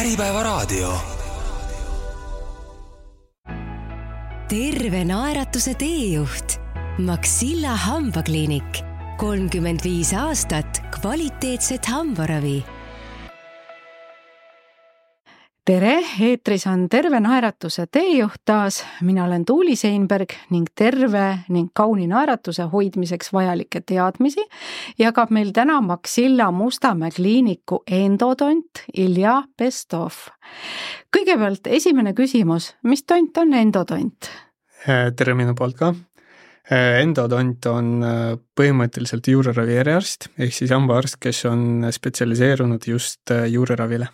Äripäevaraadio. Terve naeratuse teejuht. Maxilla hambakliinik. 35 aastat kvaliteetset hambaravi. Tere, eetris on Terve naeratuse teejuht taas. Mina olen Tuuli Seinberg ning terve ning kauni naeratuse hoidmiseks vajalikke teadmisi jagab meil täna Maxilla Mustamäe kliiniku endodont Ilja Bestov. Kõigepealt esimene küsimus, mis tont on endodont? Tere minu poolt ka. Endodont on põhimõtteliselt juureravi eriarst, ehk siis hambaarst, kes on spetsialiseerunud just juureravile.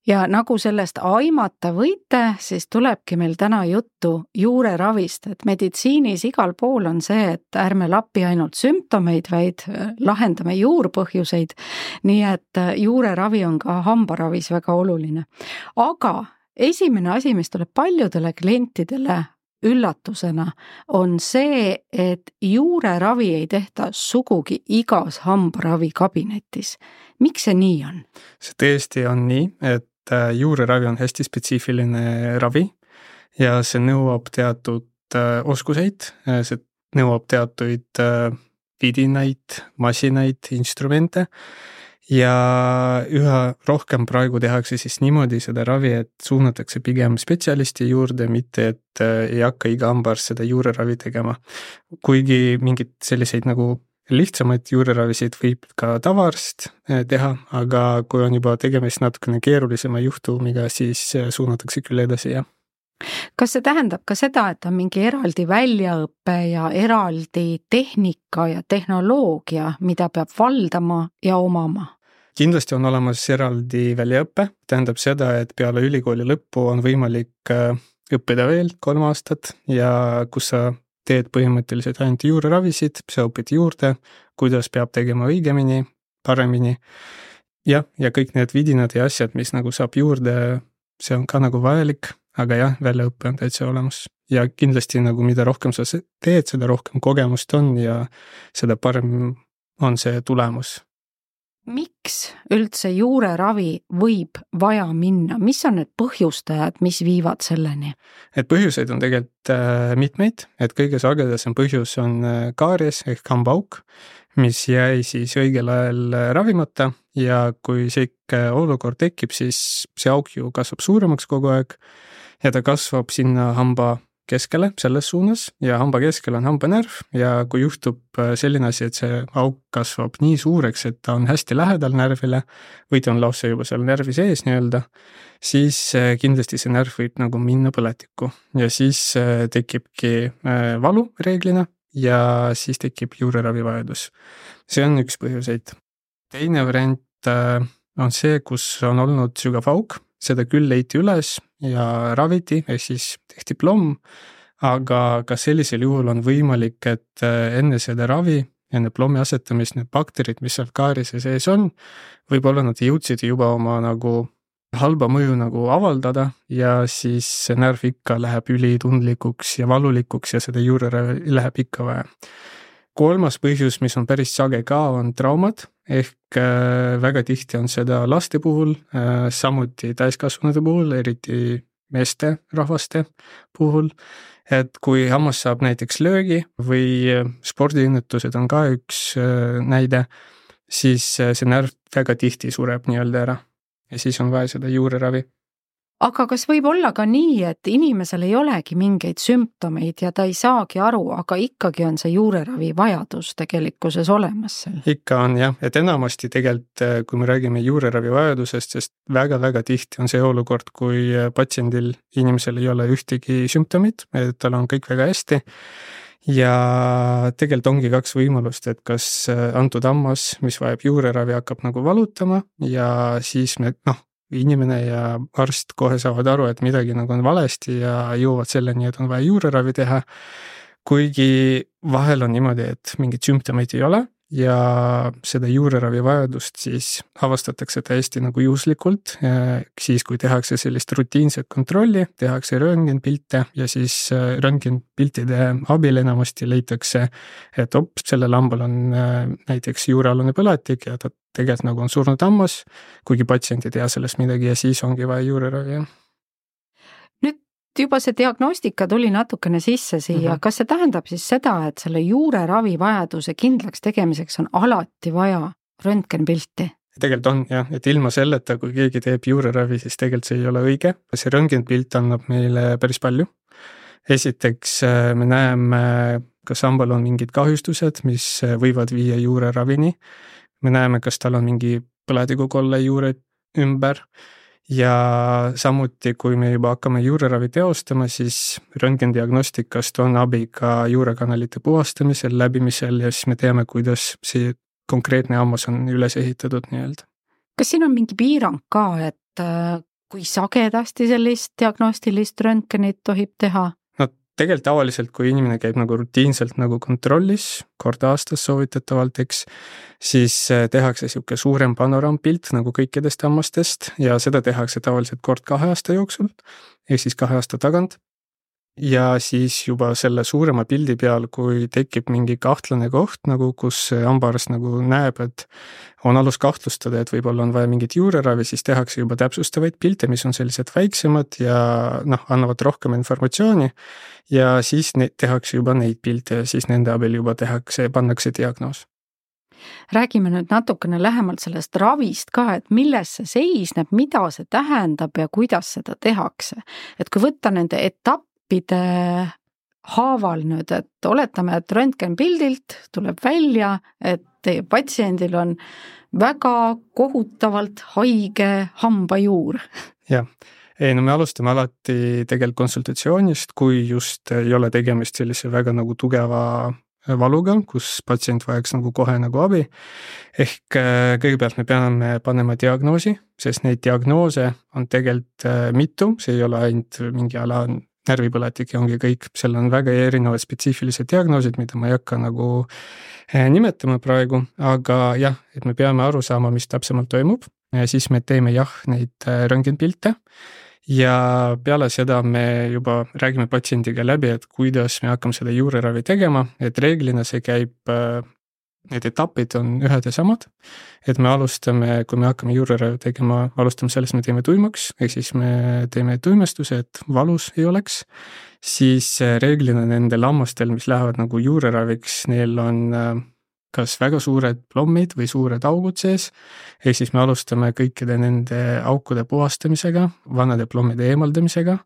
Ja nagu sellest aimata võite, siis tulebki meil täna juttu juureravist, et meditsiinis igal pool on see, et ärme lappi ainult sümptomeid, vaid lahendame juurpõhjuseid, nii et juureravi on ka hambaravis väga oluline. Aga esimene asi, mis tuleb paljudele klientidele üllatusena, on see, et juureravi ei tehta sugugi igas hambaravi kabinetis. Miks see nii on? See tõesti on nii, et juureravi on hästi spetsiifiline ravi ja see nõuab teatud oskuseid, see nõuab teatuid vidinaid, masinaid, instrumente ja üha rohkem praegu tehakse siis niimoodi seda ravi, et suunatakse pigem spetsialisti juurde, mitte et ei hakka iga hambaarst seda juureravi tegema. Kuigi mingid selliseid nagu lihtsamaid juureravisid võib ka tavaarst teha, aga kui on juba tegemist natukene keerulisema juhtumiga, siis suunatakse küll edasi, jah. Kas see tähendab ka seda, et on mingi eraldi väljaõppe ja eraldi tehnika ja tehnoloogia, mida peab valdama ja omama? Kindlasti on olemas eraldi väljaõppe, tähendab seda, et peale ülikooli lõppu on võimalik õppida veel 3 aastat ja kus sa teed põhimõtteliselt ainult juureravisid, sa õpid juurde, kuidas peab tegema õigemini, paremini. Ja kõik need vidinad ja asjad, mis nagu saab juurde, see on ka nagu vajalik, aga jah, väljaõppe on täitsa olemas. Ja kindlasti nagu mida rohkem sa teed, seda rohkem kogemust on ja seda parem on see tulemus. Miks üldse juureravi võib vaja minna? Mis on need põhjustajad, mis viivad selleni? Et põhjuseid on tegelikult mitmeid, et kõige sagedasem põhjus on kaaries ehk hambaauk, mis jäi siis õigel ajal ravimata ja kui see olukord tekib, siis see auk ju kasvab suuremaks kogu aeg ja ta kasvab sinna hamba keskele, selles suunas ja hamba keskel on hambanärv ja kui juhtub selline asi, et see auk kasvab nii suureks, et ta on hästi lähedal närvile või ta on lausa juba seal närvi sees nii-öelda, siis kindlasti see närv võib nagu minna põletikku ja siis tekibki valu reeglina ja siis tekib juureravivajadus. See on üks põhjuseid. Teine variant on see, kus on olnud sügav auk, seda küll leiti üles ja raviti, ehk siis tehti plomm, aga ka sellisel juhul on võimalik, et enne seda ravi, enne plommi asetamist, need bakterid, mis seal kaarise sees on, võib-olla nad jõudsid juba oma nagu halba mõju nagu avaldada ja siis see närv ikka läheb ülitundlikuks ja valulikuks ja seda juureravi läheb ikka vaja. 3. põhjus, mis on päris sage ka, on traumad, ehk väga tihti on seda laste puhul, samuti täiskasvanute puhul, eriti meeste rahvaste puhul, et kui hammas saab näiteks löögi või spordiõnnetused on ka üks näide, siis see närv väga tihti sureb nii-öelda ära ja siis on vaja seda juureravi. Aga kas võib olla ka nii, et inimesel ei olegi mingeid sümptomeid ja ta ei saagi aru, aga ikkagi on see juureravi vajadus tegelikkuses olemas seal? Ikka on jah, et enamasti tegelikult, kui me räägime juureravi vajadusest, sest väga-väga tihti on see olukord, kui patsiendil, inimesel ei ole ühtegi sümptomit, et tal on kõik väga hästi ja tegelikult ongi 2 võimalust, et kas antud hammas, mis vajab juureravi, hakkab nagu valutama ja siis me inimene ja arst kohe saavad aru, et midagi nagu on valesti ja jõuavad selleni, et on vaja juureravi teha. Kuigi vahel on niimoodi, et mingid sümptomeid ei ole ja seda juureravi vajadust siis avastatakse täiesti nagu juhuslikult, siis kui tehakse sellist rutiinset kontrolli, tehakse röntgenpilte ja siis röntgenpiltide abil enamasti leitakse, et sellel hambal on näiteks juurealune põletik ja ta tegelikult nagu on surnud hammas, kuigi patsient ei tea sellest midagi ja siis ongi vaja juureravi. Juba see diagnostika tuli natukene sisse siia, kas see tähendab siis seda, et selle juureravi vajaduse kindlaks tegemiseks on alati vaja röntgenpilti? Tegelikult on jah, et ilma selleta, kui keegi teeb juureravi, siis tegelikult see ei ole õige. See röntgenpilt annab meile päris palju. Esiteks me näeme, kas hambal on mingid kahjustused, mis võivad viia juureravini. Me näeme, kas tal on mingi põletikukolle juure ümber. Ja samuti, kui me juba hakkame juureravi teostama, siis röntgendiagnostikast on abi ka juurekanalite puhastamisel, läbimisel ja siis me teame, kuidas see konkreetne hammas on üles ehitatud nii-öelda. Kas siin on mingi piirang ka, et kui sagedasti sellist diagnostilist röntgenit tohib teha? Tegelikult tavaliselt, kui inimene käib nagu rutiinselt nagu kontrollis, kord aastas soovitatavalt, siis tehakse siuke suurem panoraampilt nagu kõikidest hammastest ja seda tehakse tavaliselt kord 2 aasta jooksul, ehk siis 2 aasta tagant. Ja siis juba selle suurema pildi peal, kui tekib mingi kahtlane koht, nagu kus hambaarst nagu näeb, et on alus kahtlustada, et võib-olla on vaja mingit juureravi, siis tehakse juba täpsustavaid pilte, mis on sellised väiksemad ja annavad rohkem informatsiooni ja siis tehakse juba neid pilte ja siis nende abil juba pannakse diagnoos. Räägime nüüd natukene lähemalt sellest ravist ka, et milles see seisneb, mida see tähendab ja kuidas seda tehakse. Et kui võtta nende etappide haaval nüüd, et oletame, et röntgenpildilt tuleb välja, et teie patsiendil on väga kohutavalt haige hambajuur. Jah. Me alustame alati tegelikult konsultatsioonist, kui just ei ole tegemist sellise väga nagu tugeva valuga, kus patsient vajaks nagu kohe nagu abi. Ehk kõigepealt me peame panema diagnoosi, sest neid diagnoose on tegelikult mitu, see ei ole ainult mingi ala närvipõletik ja ongi kõik, seal on väga erinevad spetsiifilised diagnoosid, mida ma ei hakka nagu nimetama praegu, aga jah, et me peame aru saama, mis täpsemalt toimub ja siis me teeme neid röntgenpilte ja peale seda me juba räägime patsiendiga läbi, et kuidas me hakkame seda juureravi tegema, et reeglina see käib, need etapid on ühed ja samad, et me alustame, kui me hakkame juureravi tegema, alustame sellest, me teeme tuimaks, ehk siis me teeme tuimestuse, et valus ei oleks, siis reeglina nendel hammastel, mis lähevad nagu juureraviks, neil on kas väga suured plommid või suured augud sees, ehk siis me alustame kõikide nende aukude puhastamisega, vanade plommide eemaldamisega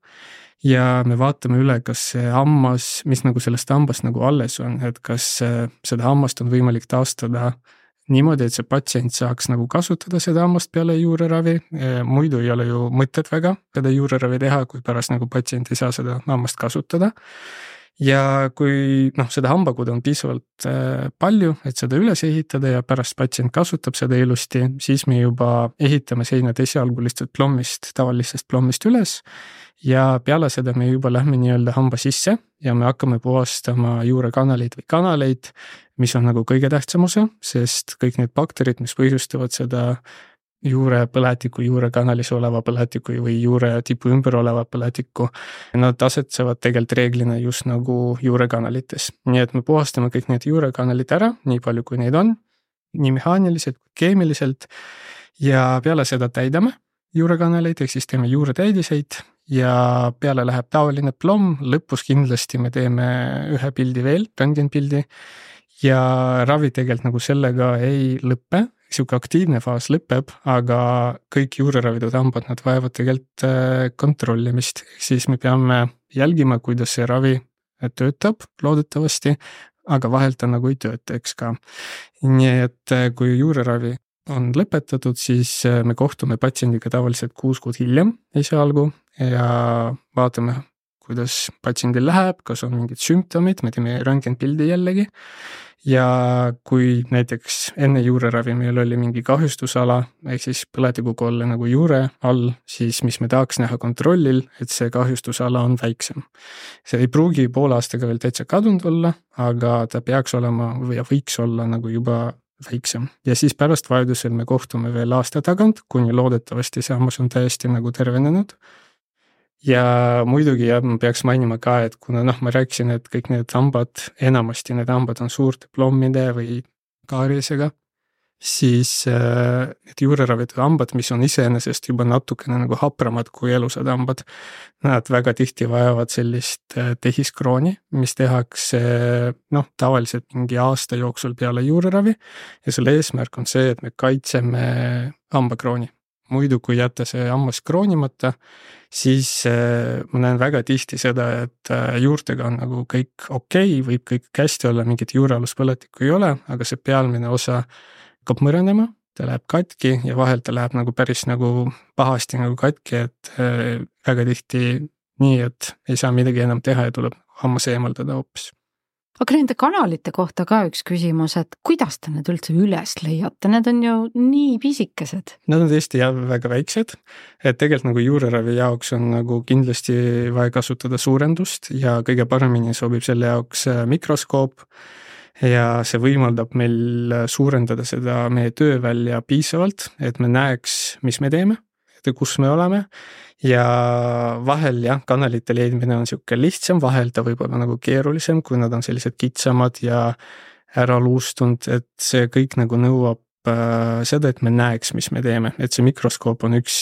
ja me vaatame üle, kas see hammas, mis nagu sellest hambast nagu alles on, et kas seda hammast on võimalik taastada niimoodi, et see patsient saaks nagu kasutada seda hammast peale juureravi, muidu ei ole ju mõtet väga seda juureravi teha, kui pärast nagu patsient ei saa seda hammast kasutada. Ja kui seda hambakude on piisavalt palju, et seda üles ehitada ja pärast patsient kasutab seda ilusti, siis me juba ehitame seinad esialgu lihtsalt plommist, tavalisest plommist üles ja peale seda me juba lähme nii-öelda hamba sisse ja me hakkame puhastama juurekanaleid või kanaleid, mis on nagu kõige tähtsam osa, sest kõik need bakterid, mis põhjustavad seda juurepõletiku, juurekanalis oleva põletiku või juure tipu ümber oleva põletiku, nad asetsevad tegelikult reeglina just nagu juurekanalites. Nii et me puhastame kõik need juurekanalid ära, nii palju kui neid on, nii mehaaniliselt kui keemiliselt ja peale seda täidame juurekanaleid, ehk siis teeme juuretäidiseid ja peale läheb tavaline plomm, lõpus kindlasti me teeme ühe pildi veel, röntgenpildi ja ravi tegelikult nagu sellega ei lõppe. Siuke aktiivne faas lõpeb, aga kõik juureravitud hambad, nad vajavad tegelikult kontrollimist. Siis me peame jälgima, kuidas see ravi töötab loodetavasti, aga vahelt ta nagu ei tööta, eks ka. Nii et kui juureravi on lõpetatud, siis me kohtume patsiendiga tavaliselt 6 kuud hiljem esialgu ja vaatame, kuidas patsiendil läheb, kas on mingid sümptomid, me teeme röntgenpildi jällegi. Ja kui näiteks enne juureravi meil oli mingi kahjustusala, ehk siis põletikukolle nagu juure all, siis mis me tahaks näha kontrollil, et see kahjustusala on väiksem. See ei pruugi poole aastaga veel täitsa kadunud olla, aga ta peaks olema või võiks olla nagu juba väiksem. Ja siis pärast vajadusel me kohtume veel aasta tagant, kuni loodetavasti see hammas on täiesti nagu tervenenud. Ja muidugi ma peaks mainima ka, et kuna ma rääkisin, et kõik need hambad, enamasti need hambad on suurte plommide või kaarisega, siis need juureravitud hambad, mis on iseenesest juba natukene nagu hapramad kui elusad hambad, nad väga tihti vajavad sellist tehiskrooni, mis tehakse tavaliselt mingi aasta jooksul peale juureravi ja selle eesmärk on see, et me kaitseme hambakrooni. Muidu kui jätta see hammas kroonimata, siis ma näen väga tihti seda, et juurtega on nagu kõik okei, võib kõik hästi olla, mingit juurealuspõletikku ei ole, aga see pealmine osa hakkab mõranema, ta läheb katki ja vahel ta läheb nagu päris nagu pahasti nagu katki, et väga tihti nii, et ei saa midagi enam teha ja tuleb hammas eemaldada hoopis. Aga nende kanalite kohta ka üks küsimus, et kuidas te need üldse üles leiate? Need on ju nii pisikesed. Nad on tõesti väga väiksed, et tegelikult nagu juureravi jaoks on nagu kindlasti vaja kasutada suurendust ja kõige paremini sobib selle jaoks mikroskoop ja see võimaldab meil suurendada seda meie töövälja piisavalt, et me näeks, mis me teeme, et kus me oleme. Ja vahel kanalite leidmine on siuke lihtsam, vahel ta võib olla nagu keerulisem, kui nad on sellised kitsamad ja ära luustunud, et see kõik nagu nõuab seda, et me näeks, mis me teeme, et see mikroskoop on üks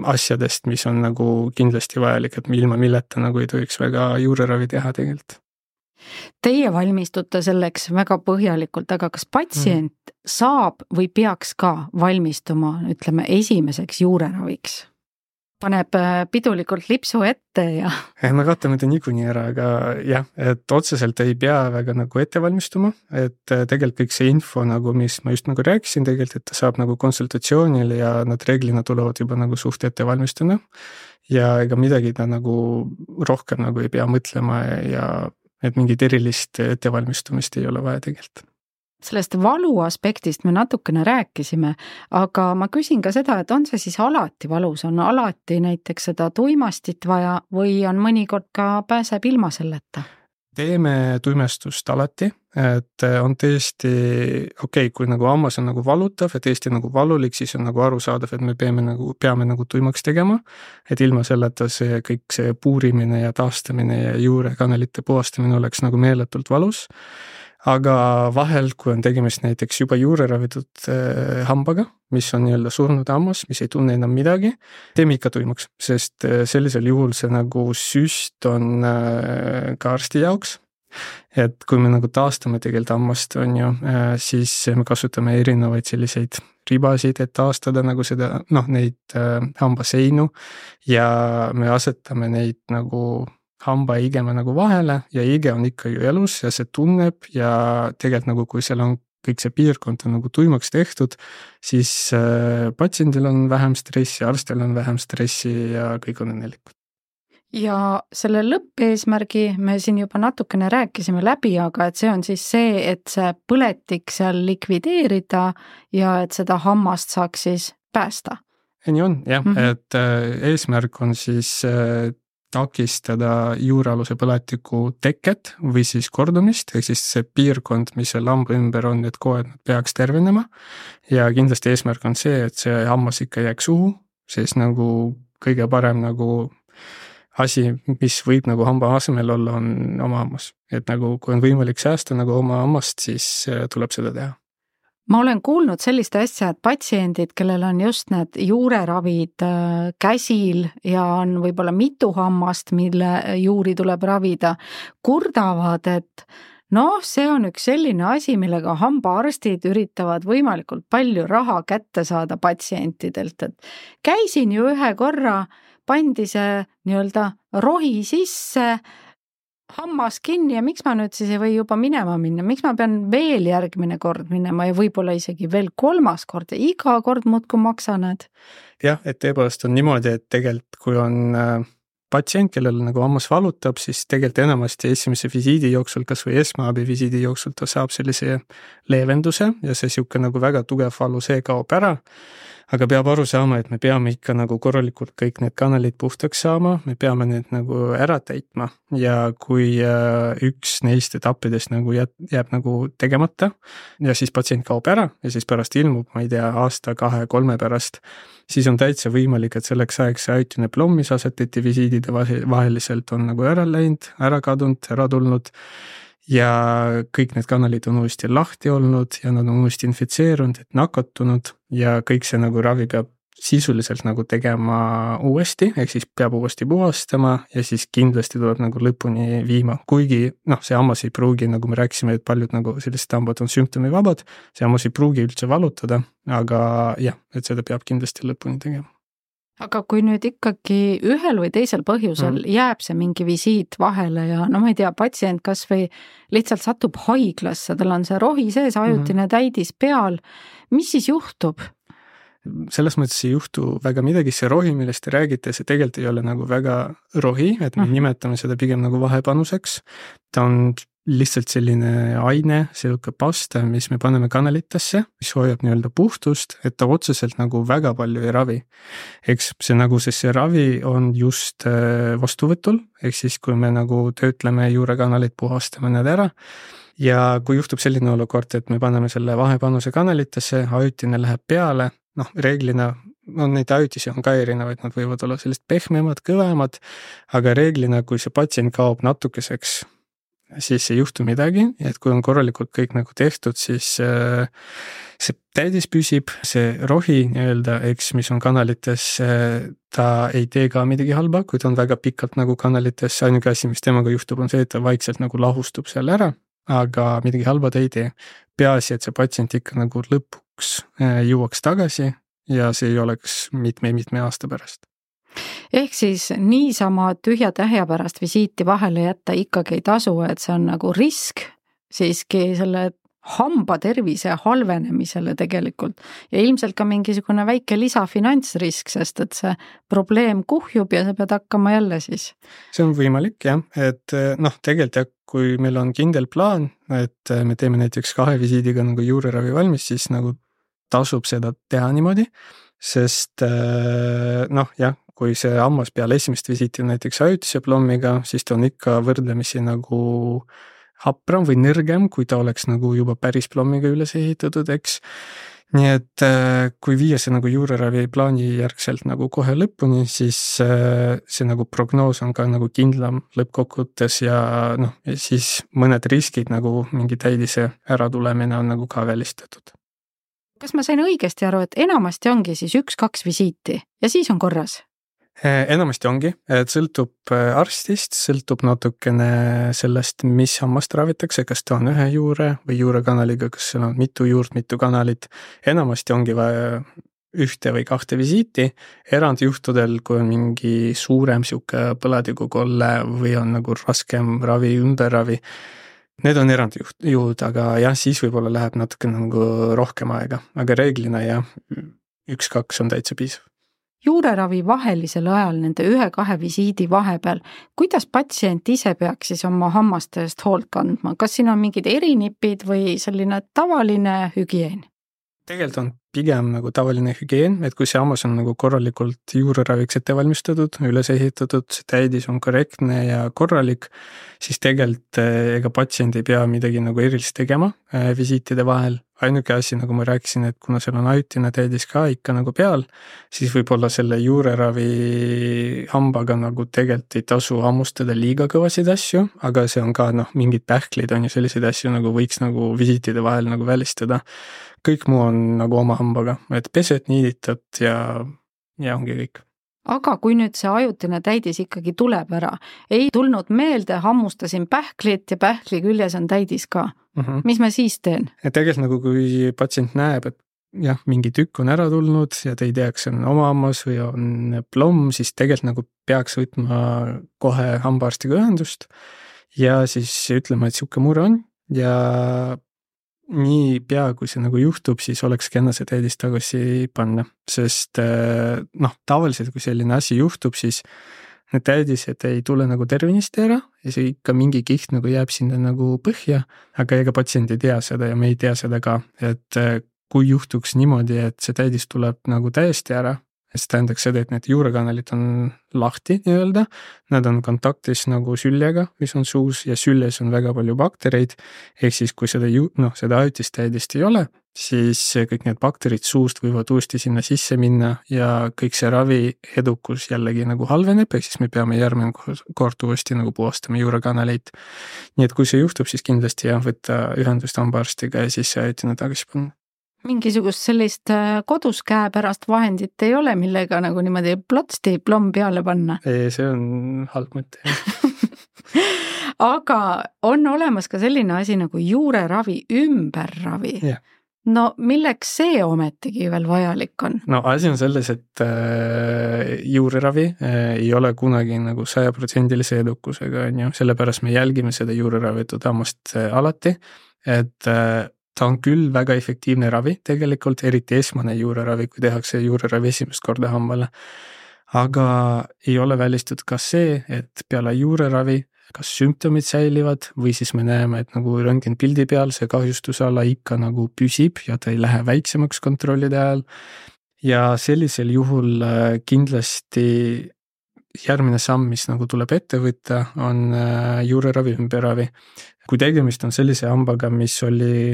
asjadest, mis on nagu kindlasti vajalik, et ilma milleta nagu ei tohiks väga juureravi teha tegelikult. Teie valmistute selleks väga põhjalikult, aga kas patsient saab või peaks ka valmistuma, ütleme, esimeseks juureraviks? Paneb pidulikult lipsu ette ja... Me katame ta niikuinii ära, aga et otseselt ei pea väga nagu ette valmistuma, et tegelikult kõik see info nagu, mis ma just nagu rääkisin tegelikult, et ta saab nagu konsultatsioonil ja nad reeglina tulevad juba nagu suht ette valmistuna ja ega midagi ta nagu rohkem nagu ei pea mõtlema ja et mingit erilist ettevalmistumist ei ole vaja tegelikult. Sellest valu aspektist me natukene rääkisime, aga ma küsin ka seda, et on see siis alati valus, on alati näiteks seda tuimastit vaja või on mõnikord ka pääseb ilma selleta? Teeme tuimestust alati, et on tõesti okei, kui nagu hammas on nagu valutav ja tõesti nagu valulik, siis on nagu arusaadav, et me peame nagu tuimaks tegema, et ilma selleta see kõik see puurimine ja taastamine ja juurekanalite puhastamine oleks nagu meeletult valus. Aga vahel, kui on tegemist näiteks juba juureravitud hambaga, mis on nii-öelda surnud hammas, mis ei tunne enam midagi, teeme ikka tuimaks, sest sellisel juhul see nagu süst on ka arsti jaoks. Et kui me nagu taastame tegelikult hammast, siis me kasutame erinevaid selliseid ribasid, et taastada nagu seda, neid hambaseinu ja me asetame neid nagu hamba ja igeme nagu vahele ja ige on ikka ju elus ja see tunneb ja tegelikult nagu kui seal on kõik see piirkond on nagu tuimaks tehtud, siis patsiendil on vähem stressi, arstil on vähem stressi ja kõik on õnnelikud. Ja selle lõppeesmärgi me siin juba natukene rääkisime läbi, aga et see on siis see, et see põletik seal likvideerida ja et seda hammast saaks siis päästa. Nii on, et eesmärk on siis takistada juurealuse põletiku teket või siis kordumist, ehk siis see piirkond, mis seal hamba ümber on, et kohe peaks tervenema ja kindlasti eesmärk on see, et see hammas ikka jääks suhu, siis nagu kõige parem nagu asi, mis võib nagu hamba asemel olla, on oma hammas. Et nagu kui on võimalik säästa nagu oma hammast, siis tuleb seda teha. Ma olen kuulnud sellist asja, et patsiendid, kellel on just need juureravid käsil ja on võib-olla mitu hammast, mille juuri tuleb ravida, kurdavad, et see on üks selline asi, millega hambaarstid üritavad võimalikult palju raha kätte saada patsientidelt, et käisin ju ühe korra, pandi see nii-öelda rohi sisse, hammas kinni ja miks ma nüüd siis ei või juba minema minna, miks ma pean veel järgmine kord minema ja võib-olla isegi veel 3. kord ja iga kord muudkui maksan need? Jah, et tõepoolest on niimoodi, et tegelikult kui on patsient, kellel nagu hammas valutab, siis tegelikult enamasti esimese visiidi jooksul, kas või esmaabi visiidi jooksul ta saab sellise leevenduse ja see sihuke nagu väga tugev valu, see kaob ära. Aga peab aru saama, et me peame ikka nagu korralikult kõik need kanalid puhtaks saama, me peame need nagu ära täitma ja kui üks neist etappidest nagu jääb nagu tegemata ja siis patsient kaob ära ja siis pärast ilmub, ma ei tea, aasta, 2-3 pärast, siis on täitsa võimalik, et selleks ajaks see ajutine plomm, mis asetati visiidide vaheliselt, on nagu ära läinud, ära kadunud, ära tulnud ja kõik need kanalid on uuesti lahti olnud ja nad on uuesti infitseerunud, et nakatunud ja kõik see nagu ravi peab sisuliselt nagu tegema uuesti, ehk siis peab uuesti puhastama ja siis kindlasti tuleb nagu lõpuni viima, kuigi see hammas ei pruugi, nagu me rääkisime, et paljud nagu sellised hambad on sümptomivabad, see hammas ei pruugi üldse valutada, aga jah, et seda peab kindlasti lõpuni tegema. Aga kui nüüd ikkagi ühel või teisel põhjusel jääb see mingi visiit vahele ja ma ei tea, patsient kas või lihtsalt satub haiglasse, tal on see rohi sees, ajutine täidis peal, mis siis juhtub? Selles mõttes ei juhtu väga midagi, see rohi, millest te räägite, see tegelikult ei ole nagu väga rohi, et me nimetame seda pigem nagu vahepanuseks. Ta on lihtsalt selline aine, selline pasta, mis me paneme kanalitesse, mis hoiab nii-öelda puhtust, et ta otseselt nagu väga palju ei ravi. Eks see nagu, sest see ravi on just vastuvõtul, ehk siis kui me nagu töötleme juurekanalit, puhastame need ära ja kui juhtub selline olukord, et me paneme selle vahepanuse kanalitesse, ajutine läheb peale, reeglina neid ajutisi on ka erinevaid, nad võivad olla sellist pehmemad, kõvemad, aga reeglina, kui see patsient kaob natukeseks, siis ei juhtu midagi, et kui on korralikult kõik nagu tehtud, siis see täidis püsib, see rohi nii-öelda, mis on kanalites, ta ei tee ka midagi halba, kui ta on väga pikalt nagu kanalites, ainuke asi, mis temaga juhtub, on see, et ta vaikselt nagu lahustub seal ära, aga midagi halba ta ei tee. Peaasi, et see patsient ikka nagu lõpuks jõuaks tagasi ja see ei oleks mitme aasta pärast. Ehk siis niisama tühja tähja pärast visiiti vahele jätta ikkagi ei tasu, et see on nagu risk siiski selle hamba tervise halvenemisele tegelikult ja ilmselt ka mingisugune väike lisafinantsrisk, sest et see probleem kuhjub ja sa pead hakkama jälle siis. See on võimalik jah, et tegelikult jah, kui meil on kindel plaan, et me teeme näiteks 2 visiidiga nagu juureravi valmis, siis nagu tasub seda teha niimoodi, sest jah, kui see hammas peale esimest visiiti on näiteks ajutise plommiga, siis ta on ikka võrdlemisi nagu hapram või nõrgem, kui ta oleks nagu juba päris plommiga üles ehitatud, eks. Nii et kui viia see nagu juureravi plaani järgselt nagu kohe lõpuni, siis see nagu prognoos on ka nagu kindlam lõppkokkuvõttes ja siis mõned riskid nagu mingi täidise äratulemine on nagu ka välistatud. Kas ma sain õigesti aru, et enamasti ongi siis 1-2 visiiti ja siis on korras? Enamasti ongi, et sõltub arstist, sõltub natukene sellest, mis hammast ravitakse, kas ta on ühe juure või juurekanaliga, kas seal on mitu juurt, mitu kanalit. Enamasti ongi vaja 1 või 2 visiiti, erandjuhtudel, kui on mingi suurem siuke põlatikukolle või on nagu raskem ravi, ümberravi. Need on erandjuhud, aga jah, siis võib-olla läheb natuke nagu rohkem aega, aga reeglina jah, 1-2 on täitsa piisav. Juureravi vahelisel ajal nende 1-2 visiidi vahepeal, kuidas patsient ise peaks siis oma hammaste eest hoolt kandma? Kas siin on mingid erinipid või selline tavaline hügieen? Tegelikult on pigem nagu tavaline hügieen, et kui see hammas on nagu korralikult juureraviks ette valmistatud, üles ehitatud, see täidis on korrektne ja korralik, siis tegelikult ega patsient ei pea midagi nagu erilist tegema visiitide vahel. Ainuke asi, nagu ma rääkisin, et kuna seal on ajutine täidis ka ikka nagu peal, siis võib-olla selle juureravi hambaga nagu tegelikult ei tasu hammustada liiga kõvasid asju, aga see on ka mingid pähklid on ju selliseid asju nagu võiks nagu visiitide vahel nagu välistada. Kõik muu on nagu oma hambaga, et pesed, niiditad ja ongi kõik. Aga kui nüüd see ajutine täidis ikkagi tuleb ära, ei tulnud meelde, hammustasin pähklit ja pähkli küljes on täidis ka. Mis ma siis teen? Et tegelikult nagu kui patsient näeb, et jah, mingi tükk on ära tulnud ja te ei tea, kas on oma hammas või on plomm, siis tegelikult nagu peaks võtma kohe hambaarstiga ühendust ja siis ütlema, et siuke mure on ja nii pea, kui see nagu juhtub, siis oleks kenna see täidis tagasi panna, sest tavaliselt, kui selline asi juhtub, siis need täidised ei tule nagu tervenisti ära ja see ikka mingi kiht nagu jääb sinna nagu põhja, aga ega patsient ei tea seda ja me ei tea seda ka, et kui juhtuks niimoodi, et see täidis tuleb nagu täiesti ära, see tähendaks seda, et need juurekanalid on lahti nii-öelda, nad on kontaktis nagu süljega, mis on suus ja süljes on väga palju baktereid, ehk siis kui seda ajutist täidist ei ole, siis kõik need bakterid suust võivad uuesti sinna sisse minna ja kõik see ravi edukus jällegi nagu halveneb, ehk siis me peame järgmine kord uuesti nagu puhastama juurekanaleid. Nii et kui see juhtub, siis kindlasti võtta ühendust hambaarstiga ja siis see ajutine tagasi panna. Mingisugust sellist kodus käepärast vahendit ei ole, millega nagu niimoodi plotsti plomm peale panna? Ei, see on halb mõte. Aga on olemas ka selline asi nagu juureravi ümberravi. Yeah. No milleks see ometigi veel vajalik on? No asi on selles, et juureravi ei ole kunagi nagu 100% edukusega, sellepärast me jälgime seda juureravitud hammast alati, et ta on küll väga efektiivne ravi tegelikult, eriti esmane juureravi, kui tehakse juureravi esimest korda hambale. Aga ei ole välistatud ka see, et peale juureravi kas sümptomid säilivad või siis me näeme, et nagu röntgenpildi peal see kahjustusala ikka nagu püsib ja ta ei lähe väiksemaks kontrollide ajal. Ja sellisel juhul kindlasti järgmine samm, mis nagu tuleb ette võtta, on juureravi ümberravi. Kui tegemist on sellise hambaga, mis oli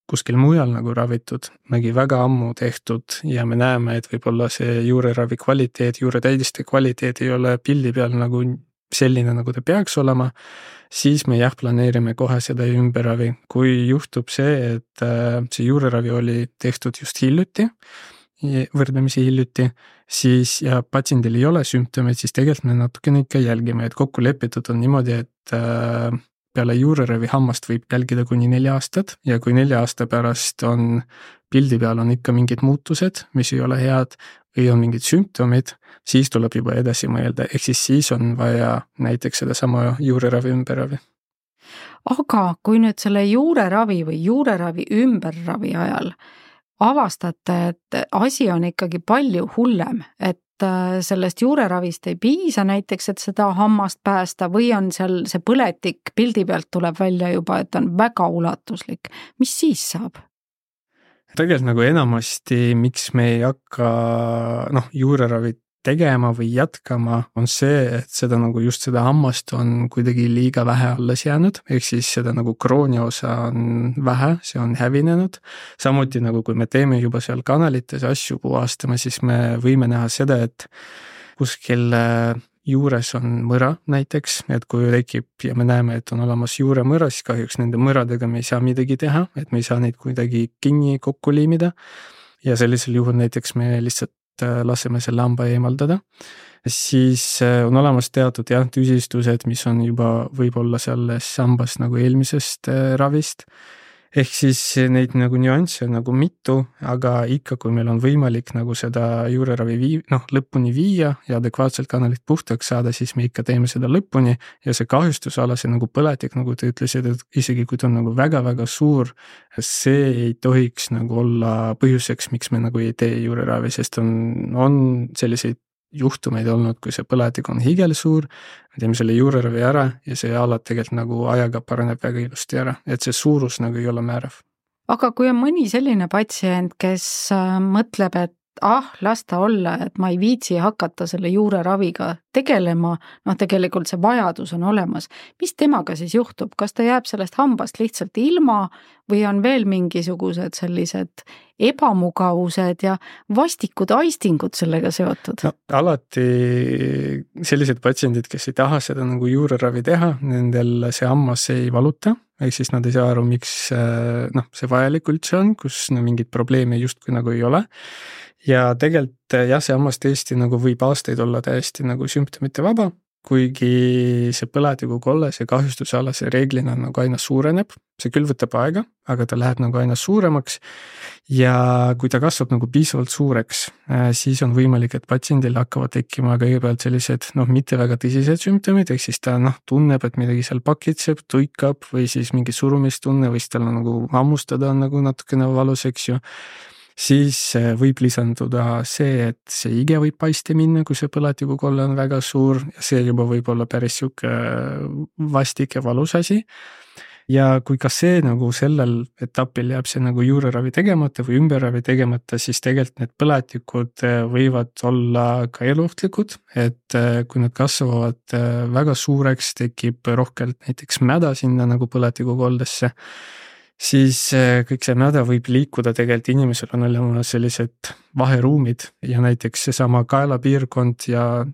kuskil mujal nagu ravitud, nägi väga ammu tehtud ja me näeme, et võib-olla see juureravi kvaliteet, juuretäidiste kvaliteet ei ole pildi peal nagu selline, nagu ta peaks olema, siis me planeerime kohe seda ümberravi. Kui juhtub see, et see juureravi oli tehtud just hiljuti, võrdlemisi hiljuti, siis ja patsiendil ei ole sümptomeid, siis tegelikult me natukene ikka jälgime, et kokku lepitud on niimoodi, et peale juureravi hammast võib jälgida kuni 4 aastat ja kui 4 aasta pärast on pildi peal on ikka mingid muutused, mis ei ole head või on mingid sümptomid, siis tuleb juba edasi mõelda, ehk siis on vaja näiteks seda sama juureravi ümberravi. Aga kui nüüd selle juureravi või juureravi ümberravi ajal avastate, et asi on ikkagi palju hullem, et sellest juureravist ei piisa näiteks, et seda hammast päästa või on seal see põletik pildi pealt tuleb välja juba, et on väga ulatuslik. Mis siis saab? Tegelikult nagu enamasti, miks me ei hakka juureravit tegema või jätkama, on see, et seda nagu just seda hammast on kuidagi liiga vähe alles jäänud, ehk siis seda nagu krooni osa on vähe, see on hävinenud. Samuti nagu kui me teeme juba seal kanalites asju puhastama, siis me võime näha seda, et kuskil juures on mõra näiteks, et kui tekib ja me näeme, et on olemas juuremõra, siis kahjuks nende mõradega me ei saa midagi teha, et me ei saa neid kuidagi kinni kokku liimida ja sellisel juhul näiteks me lihtsalt laseme selle hamba eemaldada, siis on olemas teatud tüsistused, mis on juba võib-olla selles hambas nagu eelmisest ravist, ehk siis neid nagu nüansse on nagu mitu, aga ikka kui meil on võimalik nagu seda juureravi lõpuni viia ja adekvaatselt kanalit puhtaks saada, siis me ikka teeme seda lõpuni ja see kahjustusala, see nagu põletik, nagu te ütlesid, et isegi kui ta on nagu väga-väga suur, see ei tohiks nagu olla põhjuseks, miks me nagu ei tee juureravi, sest on selliseid juhtumeid olnud, kui see põletik on higelsuur, me teeme selle juureravi ära ja see alad tegelikult nagu ajaga paraneb väga ilusti ära, et see suurus nagu ei ole määrav. Aga kui on mõni selline patsient, kes mõtleb, et las ta olla, et ma ei viitsi hakata selle juureraviga tegelema, tegelikult see vajadus on olemas. Mis temaga siis juhtub? Kas ta jääb sellest hambast lihtsalt ilma või on veel mingisugused sellised ebamugavused ja vastikud aistingud sellega seotud? Alati sellised patsiendid, kes ei taha seda nagu juureravi teha, nendel see hammas ei valuta, ehk siis nad ei saa aru, miks see vajalik üldse on, kus mingit probleemi justkui nagu ei ole. Ja tegelikult see hammas tõesti nagu võib aastaid olla täiesti nagu sümptomite vaba, kuigi see põletiku kolle, see kahjustusala, see reeglina nagu aina suureneb, see küll võtab aega, aga ta läheb nagu aina suuremaks ja kui ta kasvab nagu piisavalt suureks, siis on võimalik, et patsiendil hakkavad tekkima kõigepealt sellised mitte väga tõsised sümptomid, ehk siis ta tunneb, et midagi seal pakitseb, tuikab või siis mingi surumistunne või siis tal nagu hammustada on nagu natukene valus, eks ju. siis võib lisanduda see, et see ige võib paisti minna, kui see põletikukolle on väga suur ja see juba võib olla päris sihuke vastik ja valus asi. Ja kui ka see nagu sellel etapil jääb see nagu juureravi tegemata või ümberravi tegemata, siis tegelikult need põletikud võivad olla ka eluohtlikud, et kui nad kasvavad väga suureks, tekib rohkelt näiteks mäda sinna nagu põletikukoldesse, siis kõik see mäda võib liikuda, tegelikult inimesel on olemas sellised vaheruumid ja näiteks seesama kaelapiirkond ja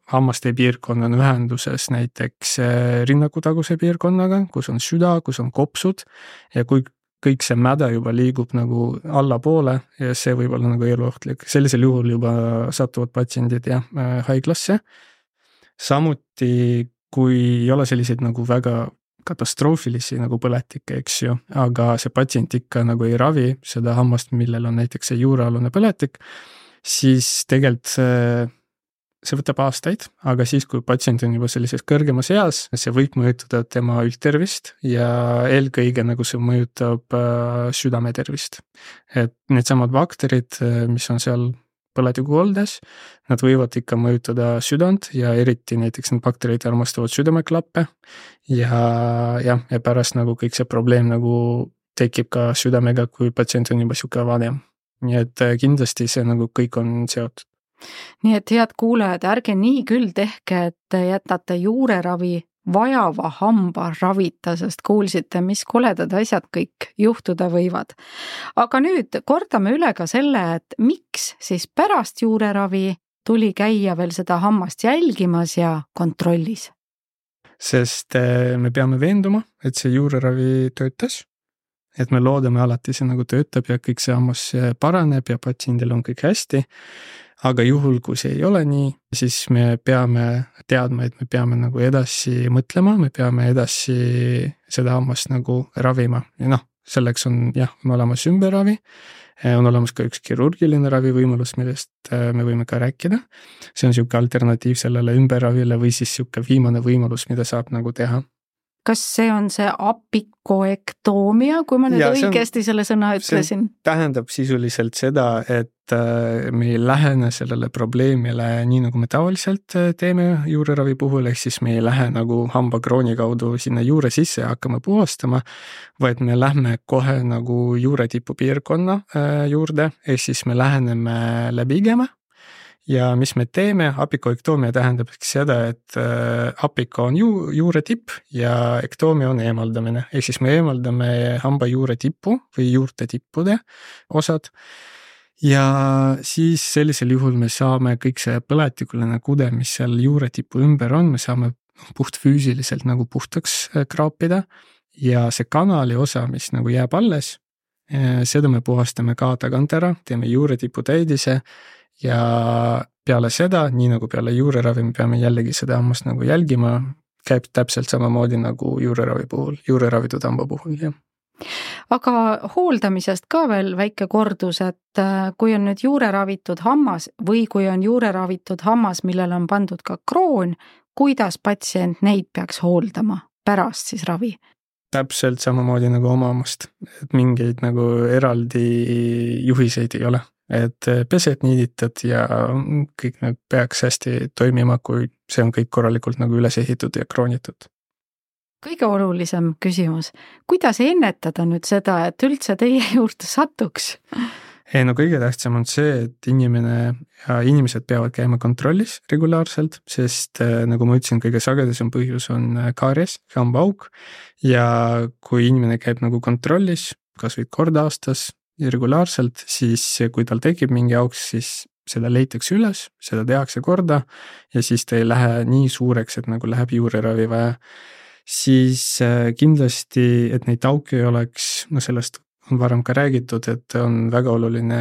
hammaste piirkond on ühenduses näiteks rinnakutaguse piirkonnaga, kus on süda, kus on kopsud ja kui kõik see mäda juba liigub nagu allapoole ja see võib olla nagu eluohtlik, sellisel juhul juba satuvad patsiendid haiglasse. Samuti, kui ei ole selliseid nagu väga katastroofilisi nagu põletikke, eks ju, aga see patsient ikka nagu ei ravi seda hammast, millel on näiteks see juurealune põletik, siis tegelikult see võtab aastaid, aga siis, kui patsient on juba sellises kõrgemas eas, see võib mõjutada tema üldtervist ja eelkõige nagu see mõjutab südametervist. Et needsamad bakterid, mis on seal põletikukoldes, nad võivad ikka mõjutada südant ja eriti näiteks need bakterid armastavad südameklappe ja pärast nagu kõik see probleem nagu tekib ka südamega, kui patsient on juba sihuke vanem. Nii et kindlasti see nagu kõik on seotud. Nii et head kuulajad, ärge nii küll tehke, et jätate juureravi vajava hamba ravita, sest kuulsite, mis koledad asjad kõik juhtuda võivad. Aga nüüd kordame üle ka selle, et miks siis pärast juureravi tuli käia veel seda hammast jälgimas ja kontrollis? Sest me peame veenduma, et see juureravi töötas, et me loodame alati see nagu töötab ja kõik see hammas paraneb ja patsiendil on kõik hästi. Aga juhul, kui see ei ole nii, siis me peame teadma, et me peame nagu edasi mõtlema, me peame edasi seda hammast nagu ravima. Ja selleks on olemas ümberravi, on olemas ka üks kirurgiline ravivõimalus, millest me võime ka rääkida. See on siuke alternatiiv sellele ümberravile või siis siuke viimane võimalus, mida saab nagu teha. Kas see on see apikoektoomia, kui ma nüüd õigesti selle sõna ütlesin? See tähendab sisuliselt seda, et me ei lähene sellele probleemile nii, nagu me tavaliselt teeme juureravi puhul, ehk siis me ei lähe nagu hambakrooni kaudu sinna juure sisse ja hakkame puhastama, vaid me lähme kohe nagu juuretipu piirkonna juurde, ehk siis me läheneme läbi igeme. Ja mis me teeme, apikoektoomia tähendab seda, et apiko on juuretipp ja ektoomia on eemaldamine. Ehk siis me eemaldame hamba juuretipu või juurte tippude osad ja siis sellisel juhul me saame kõik see põletikuline kude, mis seal juuretipu ümber on, me saame puht füüsiliselt nagu puhtaks kraapida ja see kanali osa, mis nagu jääb alles, seda me puhastame ka tagant ära, teeme juuretipu täidise ja peale seda, nii nagu peale juureravi, me peame jällegi seda hammast nagu jälgima, käib täpselt samamoodi nagu juureravi puhul, juureravitud hamba puhul, jah. Aga hooldamisest ka veel väike kordus, et kui on nüüd juureravitud hammas või kui on juureravitud hammas, millel on pandud ka kroon, kuidas patsient neid peaks hooldama pärast siis ravi? Täpselt samamoodi nagu oma hammast, et mingeid nagu eraldi juhiseid ei ole. Et pesed niiditad ja kõik need peaks hästi toimima, kui see on kõik korralikult nagu üles ehitud ja kroonitud. Kõige olulisem küsimus, kuidas ennetada nüüd seda, et üldse teie juurde satuks? Kõige tähtsam on see, et inimesed peavad käima kontrollis regulaarselt, sest nagu ma ütlesin, kõige sagedasem põhjus on kaaries, hambaauk ja kui inimene käib nagu kontrollis, kas või kord aastas, regulaarselt, siis kui tal tekib mingi auks, siis seda leitakse üles, seda tehakse korda ja siis ta ei lähe nii suureks, et nagu läheb juureravi vaja. Siis kindlasti, et neid auke ei oleks, sellest on varem ka räägitud, et on väga oluline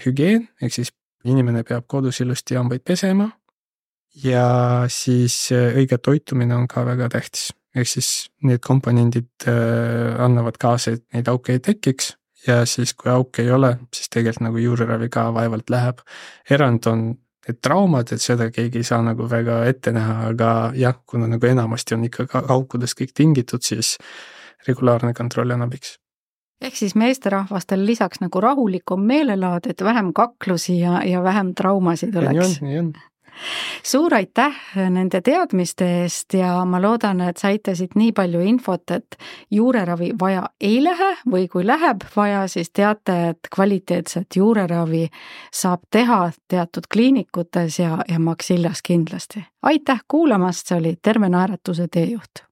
hügieen, ehk siis inimene peab kodus ilusti hambaid pesema ja siis õige toitumine on ka väga tähtis. Ehk siis need komponendid annavad kaasa, et neid auke ei tekiks. Ja siis, kui auke ei ole, siis tegelikult nagu juureravi ka vaevalt läheb. Erand on need traumad, et seda keegi ei saa nagu väga ette näha, aga jah, kuna nagu enamasti on ikka aukudest kõik tingitud, siis regulaarne kontroll on abiks. ehk siis meesterahvastel lisaks nagu rahulikum meelelaad, et vähem kaklusi ja vähem traumasid oleks. Nii on. Suur aitäh nende teadmiste eest ja ma loodan, et saite siit nii palju infot, et juureravi vaja ei lähe või kui läheb vaja, siis teate, et kvaliteetset juureravi saab teha teatud kliinikutes ja Maxillas kindlasti. Aitäh kuulamast, see oli Terve Naeratuse teejuht.